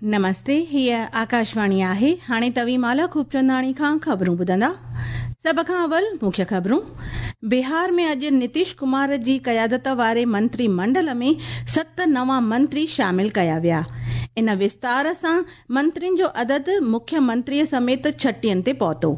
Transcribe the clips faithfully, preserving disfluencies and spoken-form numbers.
नमस्ते, हीअ आकाशवाणी आहे। हाणे तव्हीं माला खूबचंदाणी खां ख़बरूं ॿुधंदा। सभ खां अवल मुख्य ख़बरूं। बिहार में अॼु नीतीश कुमार जी क़यादत वारे मंत्रीमंडल में सत नवां मंत्री शामिल कया विया। इन विस्तार सां मंत्रियुनि जो अदद मुख्यमंत्रीअ समेत छटीहनि ते पहुतो।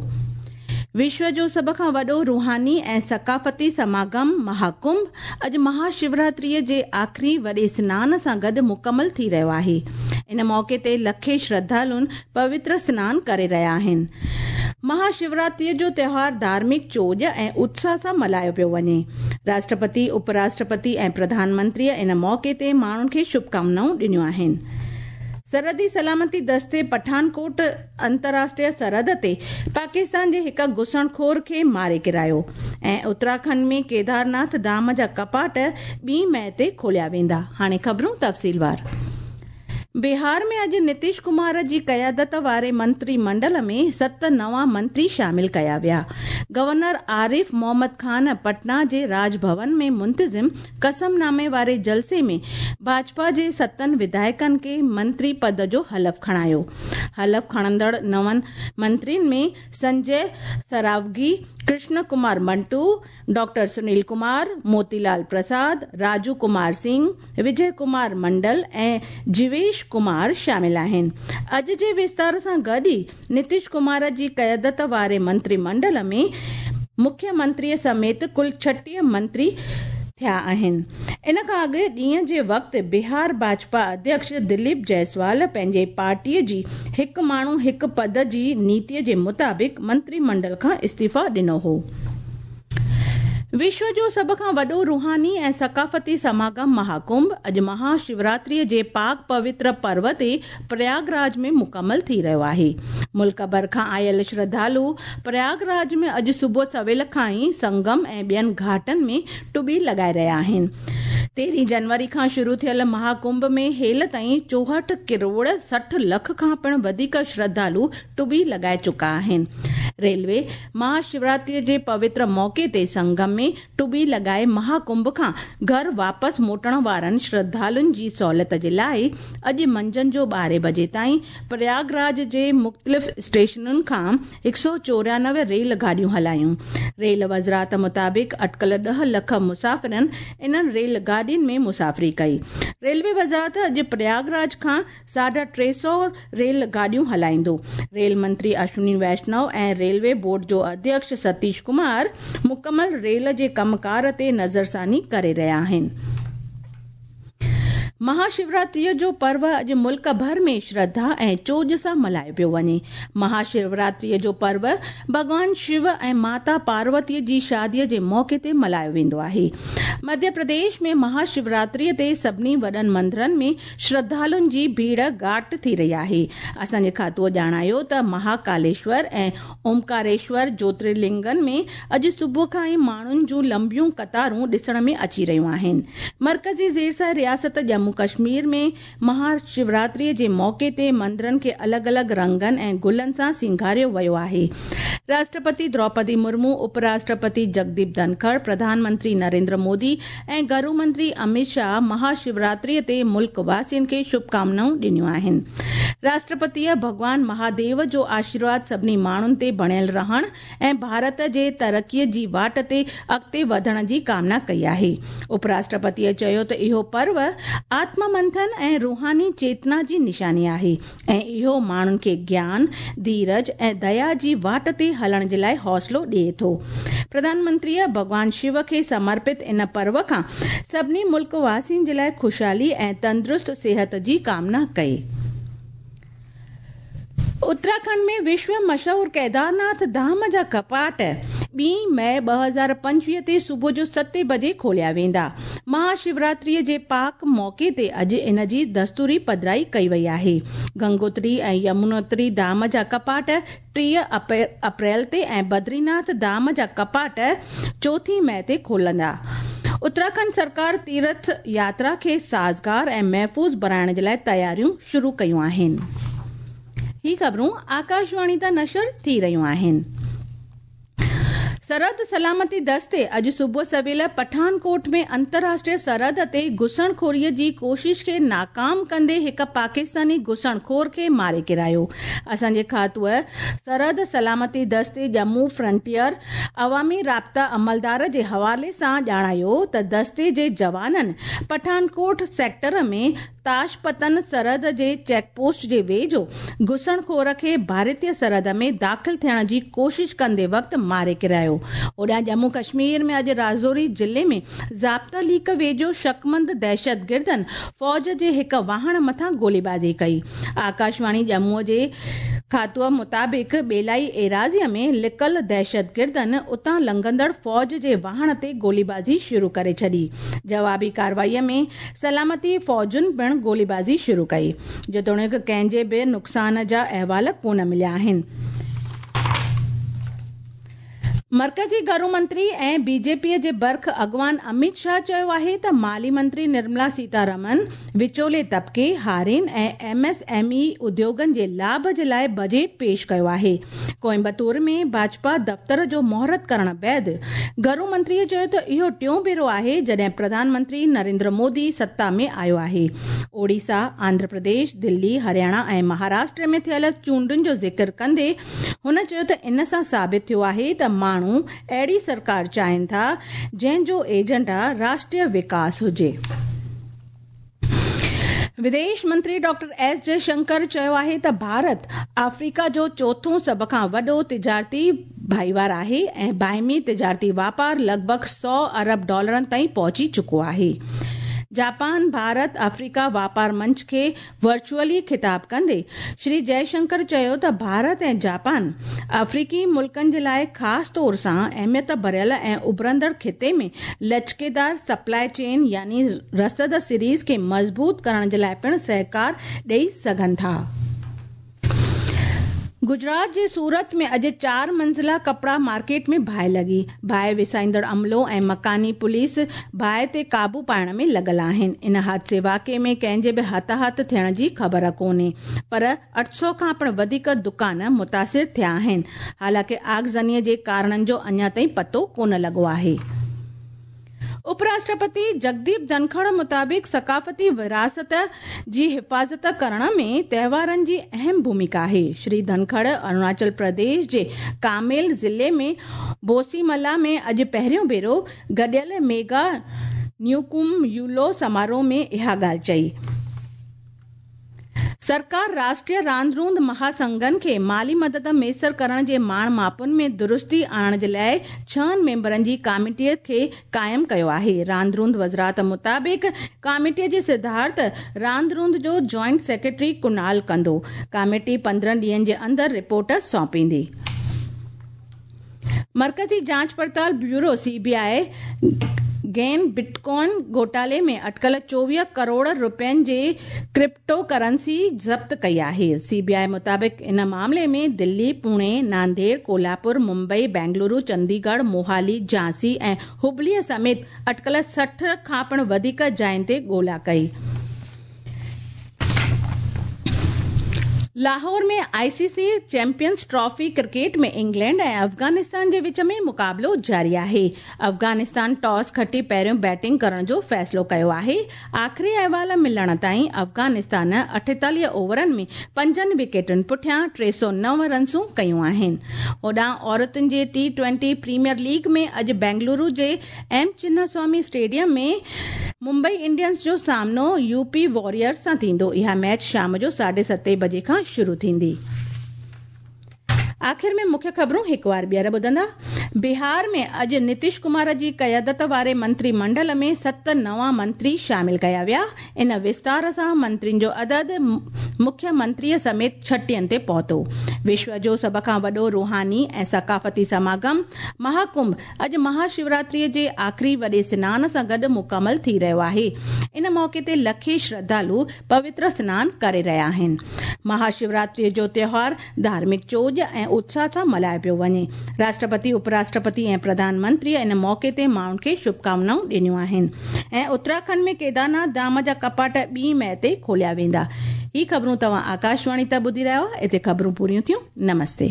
विश्व जो सभ खां वॾो रूहानी ऐं सकाफ़ती समागम महाकुंभ अॼु महाशिवरात्रीअ जे आख़िरी वॾे स्नान सां गॾु मुकमल थी रहियो आहे। इन मौक़े ते लखे श्रद्धालुनि पवित्र स्नान करे रहिया आहिनि। महाशिवरात्रीअ जो त्योहार धार्मिक चोॼ ऐं उत्साह सां मल्हायो पियो वञे। राष्ट्रपति, उपराष्ट्रपति ऐं प्रधानमंत्रीअ इन मौक़े ते माण्हुनि खे शुभकामनाऊं ॾिनियूं आहिनि। सरहदी सलामती दस्ते पठानकोट अंतर्राष्ट्रीय सरहद ते पाकिस्तान जे हिक घुसणखोर खे मारे किरायो ऐं उत्तराखंड में केदारनाथ धाम जा कपाट ॿी मई ते खोलिया वेंदा। हाणे ख़बरूं तफ़सीलवार। बिहार में अॼु नीतीश कुमार जी क़यादत वारे मंत्रीमंडल में सत नवां मंत्री शामिल कया विया। गवर्नर आरिफ मोहम्मद खान पटना जे राजभवन में मुंतज़िम कसमनामे वारे जलसे में भाजपा जे सतनि विधायकनि खे मंत्री पद जो हलफ खणायो। हलफ खणंदड़ नवनि मंत्रियुनि में संजय सरावगी, कृष्ण कुमार मंटू, डॉक्टर सुनील कुमार, मोतीलाल प्रसाद, राजू कुमार सिंह, विजय कुमार मंडल ऐं जीवेश कुमार शामिल आहिनि। अॼु जे विस्तार सां गॾु ई नीतीश कुमार जी क़यादत वारे मंत्रीमंडल में मुख्यमंत्रीअ समेत कुल छटीह मंत्री थिया आहिनि। इन खां अॻु ॾींहं जे वक़्तु बिहार भाजपा अध्यक्ष दिलीप जायसवाल पंहिंजे पार्टीअ जी हिकु माण्हू हिकु पद जी नीतीअ जे मुताबिक़ मंत्रीमंडल खां इस्तीफ़ा ॾिनो हो। विश्व जो सभ खां वॾो रूहानी ऐं सकाफ़ती समागम महाकुंभ अॼु महाशिवरात्रीअ जे पाक पवित्र पर्व ते प्रयागराज में मुकमल थी रहियो आहे। मुल्क भर खां आयल श्रद्धालु प्रयागराज में अॼु सुबुह सवेल खां ई संगम ऐं ॿियनि घाटनि में टुबी लॻाए रहिया आहिनि। तेरहीं जनवरी खां शुरू थियल महाकुंभ में हेल ताईं चोहठि करोड़ सठि लख खां पिणु वधीक श्रद्धालु टुबी लॻाए चुका आहिनि। रेलवे महाशिवरात्रीअ जे पवित्र मौक़े ते संगम में टुबी लॻाए महाकुंभ खां घर वापसि मोटण वारनि श्रद्धालुनि जी सहूलियत जे लाइ अॼु मंझंदि जो ॿारहें बजे ताईं प्रयागराज जे मुख़्तलिफ़ स्टेशनुनि खां हिकु सौ चोरानवे रेल गाॾियूं हलायूं। रेल वज़ारत मुताबिक़ अटकल ॾह लख मुसाफ़िरनि इन्हनि रेल गाॾियुनि में मुसाफ़िरी कई। रेलवे वज़ारत अॼु प्रयागराज खां साढा टे सौ रेल गाॾियूं हलाईंदो। रेल मंत्री अश्विनी वैष्णव ऐं रेलवे बोर्ड जो अध्यक्ष सतीश कुमार मुकमल रेल जे कमकार ते नज़रसानी करे रहिया आहिनि। महाशिवरात्रीअ जो पर्व अॼु मुल्क भर में श्रद्धा ऐं चोॼ सां मल्हायो पियो वञे। महाशिवरात्रीअ जो पर्व भॻवान शिव ऐं माता पार्वतीअ जी शादीअ जे मौक़े ते मल्हायो वेंदो आहे। मध्य प्रदेश में महाशिवरात्रीअ ते सभिनी वॾनि मंदिरनि में श्रद्धालुनि जी भीड़ घाट थी रही आहे। असांजे खातूअ ॼाणायो त महाकालेश्वर ऐं ओमकारेश्वर ज्योतिर्लिंगनि में अॼु सुबुह खां ई माण्हुनि जूं लंबियूं कतारूं ॾिसण में अची रहियूं आहिनि। मर्कज़ी ज़ेर रियासत जम्मू कश्मीर में महाशिवरात्रीअ जे मौक़े ते मंदिरनि खे अलॻि अलॻि रंगनि ऐं गुलनि सां सिंगारियो वियो आहे। राष्ट्रपति द्रौपदी मुर्मू, उपराष्ट्रपति जगदीप धनखड़, प्रधानमंत्री नरेंद्र मोदी ऐं घरू मंत्री अमित शाह महाशिवरात्रीअ ते मुल्क वासियुनि खे शुभकामनाऊं ॾिनियूं आहिनि। राष्ट्रपतीअ भॻवान महादेव जो आशीर्वाद सभिनी माण्हुनि ते बणियल रहण ऐं भारत जे तरक़ीअ जी वाट ते अॻिते वधण जी कामना कई आहे। उपराष्ट्रपतीअ चयो त इहो पर्व आत्ममंथन ऐं रूहानी चेतना जी निशानी आहे ऐं इहो माण्हुनि खे ज्ञान, धीरज ऐं दया जी वाट ते हलण जे लाइ हौसलो ॾिए थो। प्रधानमंत्रीअ भॻवान शिव खे समर्पित इन पर्व खां सभिनी मुल्क वासियुनि जे लाइ ख़ुशहाली ऐं तंदुरुस्त सिहत जी कामना कई। उत्तराखंड में विश्व मशहूर केदारनाथ धाम जा कपाट ॿी मई ॿ हज़ार पंजवीह ते सुबुह जो सते बजे खोलिया वेंदा। महाशिवरात्रीअ जे पाक मौक़े ते अॼु इन जी दस्तूरी पधराई कई वई आहे। गंगोत्री ऐं यमुनोत्री धाम जा कपाट टीह अप्रैल ते ऐं बद्रीनाथ धाम जा कपाट चोथीं मई ते खोलंदा। उत्तराखंड सरकार तीर्थ यात्रा खे साज़गार ऐं महफ़ूज़ बणाइण जे लाइ तयारियूं शुरू कयूं आहिनि। ही ख़बरूं आकाशवाणी तां नशर थी रहियूं आहिनि। सरहद सलामती दस्ते अॼु सुबुह सवेल पठानकोट में अंतर्राष्ट्रीय सरहद ते घुसणखोरीअ जी कोशिश खे नाकाम कंदे हिकु पाकिस्तानी घुसणखोर खे मारे किरायो। असांजे खातूअ सरहद सलामती दस्ते जम्मू फ्रंटियर अवामी राब्ता अमलदार जे हवाले सां ॼाणायो त दस्ते जे जवाननि पठानकोट सेक्टर में ताशपतन सरहद जे चेकपोस्ट जे वेझो घुसणखोर खे भारतीय सरहद में दाख़िल थियण जी कोशिश कंदे वक़्तु मारे किरायो। होॾां जम्मू कश्मीर में अॼु राजौरी ज़िले में ज़ाब्ता लीक वेझो शकमंद दहशतगिर्दनि फ़ौज जे हिकु वाहण मथां गोलीबाज़ी कई। आकाशवाणी जम्मूअ जे खातूअ मुताबिक़ बेलाई एराज़ीअ में लिकल दहशतगिर्दनि उतां लंघंदड़ फ़ौज जे वाहण ते गोलीबाज़ी शुरू करे छॾी। जवाबी कार्रवाईअ में सलामती फ़ौजुनि पिणु गोलीबाज़ी शुरू कई। जेतोणीकि कंहिंजे बि नुक़सान जा अहवाल कोन मिलिया आहिनि। मर्कज़ी घरू मंत्री ऐं बीजेपीअ जे बर्ख अॻवान अमित शाह चयो आहे त माली मंत्री निर्मला सीतारमन विचोले तबिके, हारियुनि ऐं एम एस एम ई उद्योगनि जे लाभ जे लाइ बजट पेश कयो आहे। कोयम्बतूर में भाजपा दफ़्तर जो मुहूर्त करण बाद घरू मंत्रीअ चयो त इहो टियों भेरो आहे जॾहिं प्रधानमंत्री नरेंद्र मोदी सत्ता में आयो आहे। ओडिशा, आंध्र प्रदेश, दिल्ली, हरियाणा ऐं महाराष्ट्र में थियल चूंडुनि जो ज़िक्र कंदे हुन चयो त इन सां साबित थियो आहे त माण्हू अहिड़ी सरकार चाहिनि था जंहिंजो एजेंडा राष्ट्रीय विकास हुजे। विदेश मंत्री डॉक्टर एस जयशंकर चयो आहे त भारत आफ्रीका जो चोथों सभ खां वॾो तिजारती भाईवार आहे ऐं बाहिमी तिजारती वापार लॻभॻ सौ अरब डॉलरनि ताईं पहुची चुको आहे। जापान भारत अफ्रीका वापार मंच खे वर्चुअली ख़िताब कंदे श्री जयशंकर चयो त भारत ऐं जापान अफ्रीकी मुल्कनि जे लाइ ख़ासि तौर सां अहमियत भरियल ऐं उभरंदड़ ख़िते में लचकेदार सप्लाई चेन यानी रसद सीरीज़ खे मज़बूत करण जे लाइ पिणु सहकार ॾेई सघनि था। गुजरात जे सूरत में अॼु चार मंज़िला कपड़ा मार्केट में बाहि लॻी। बाहि विसाईंदड़ अमलो ऐं मकानी पुलिस बाहि ते क़ाबू पाइण में लॻल आहिनि। इन हादसे वाक़िए में कंहिंजे बि हताहत थियण जी ख़बर कोन्हे, पर अठ सौ खां पिणु वधीक दुकान मुतासिर थिया आहिनि। हालांकि आगज़नीअ जे कारणनि जो अञा ताईं पतो कोन लॻो आहे। उपराष्ट्रपति जगदीप धनखड़ मुताबिक़ सकाफ़ती विरासत जी हिफ़ाज़त करण में त्योहारनि जी अहम भूमिका आहे। श्री धनखड़ अरुणाचल प्रदेश जे कामेल ज़िले में बोसीमला में अॼु पहिरियों भेरो गॾियल मेगा न्यूकुम यूलो समारोह में इहा ॻाल्हि चई। सरकार राष्ट्रीय रांदि रूंद महासंघनि खे माली मदद मयसर करण जे माण मापुनि में दुरुस्ती आणण जे लाइ छहनि मेंबरनि जी कमेटीअ खे क़ाइमु कयो आहे। रांदि रूंद वज़ारत मुताबिक़ कमेटीअ जी सिद्धार्थ रांदि रूंद जो जॉइंट सेक्रेटरी कुणाल कंदो। कमेटी पंद्रहं ॾींहंनि जे अंदरि रिपोर्ट सौंपींदी। मर्कज़ी जांच पड़ताल ब्यूरो सीबीआई गेन बिटकॉइन घोटाले में अटकल चोवीह करोड़ रुपयनि जे क्रिप्टो करेंसी ज़ब्त कई आहे। सीबीआई मुताबिक़ इन मामले में दिल्ली, पुणे, नांदेड़, कोल्हापुर, मुंबई, बेंगलुरु, चंडीगढ़, मोहाली, झांसी ऐं हुबलीअ समेत अटकल सठि खां पिणु वधीक जायुनि ते ॻोल्हा कई। लाहौर में आईसीसी चैंपियंस ट्रॉफी क्रिकेट में इंग्लैंड ऐं अफ़गानिस्तान जे विच में मुक़ाबिलो जारी आहे। अफ़गानिस्तान टॉस खटी पहिरियों बैटिंग करण जो फ़ैसिलो कयो आहे। आख़िरी अहवाल मिलण ताईं अफ़गानिस्तान अठेतालीह ओवरनि में पंजनि विकेटुनि पुठियां टे सौ नव रनसूं कयूं आहिनि। होॾां औरतुनि जे टी ट्वेंटी प्रीमियर लीग में अॼु बेंगलुरु जे एम चिन्नास्वामी स्टेडियम में मुंबई इंडियंस जो सामनो यूपी वॉरियर्स सां थींदो। इहा मैच शाम जो साढे सते बजे खां शुरू थींदी। आख़िर में मुख्य ख़बरूं हिकु बार ॿीहर ॿुधंदा। बिहार में अॼु नीतीश कुमार जी क़यादत वारे मंत्रीमंडल में सत नवां मंत्री शामिल कया विया। इन विस्तार सां मंत्रियुनि जो अदद मुख्यमंत्रीअ समेत छटीहनि ते पहुतो। विश्व जो सभ खां वॾो रूहानी ऐं सकाफ़ती समागम महाकुंभ अॼु महाशिवरात्रीअ जे आख़िरी वॾे स्नान सां गॾु मुकमल थी रहियो आहे। इन मौक़े ते लखे श्रद्धालु पवित्र स्नान करे रहिया आहिनि। महाशिवरात्रीअ जो त्योहार धार्मिक चोॼ ऐं उत्साह सां मल्हायो पियो वञे। राष्ट्रपति, उपराष्ट्रपति ऐं प्रधानमंत्री इन मौक़े ते माण्हुनि खे शुभकामनाऊं ॾिनियूं आहिनि। ऐं उत्तराखंड में केदारनाथ धाम जा कपाट ॿी मई ते खोलिया वेंदा। ही ख़बरूं तव्हां आकाशवाणी तां ॿुधी रहिया हुआ। हिते ख़बरूं पूरियूं थियूं। नमस्ते।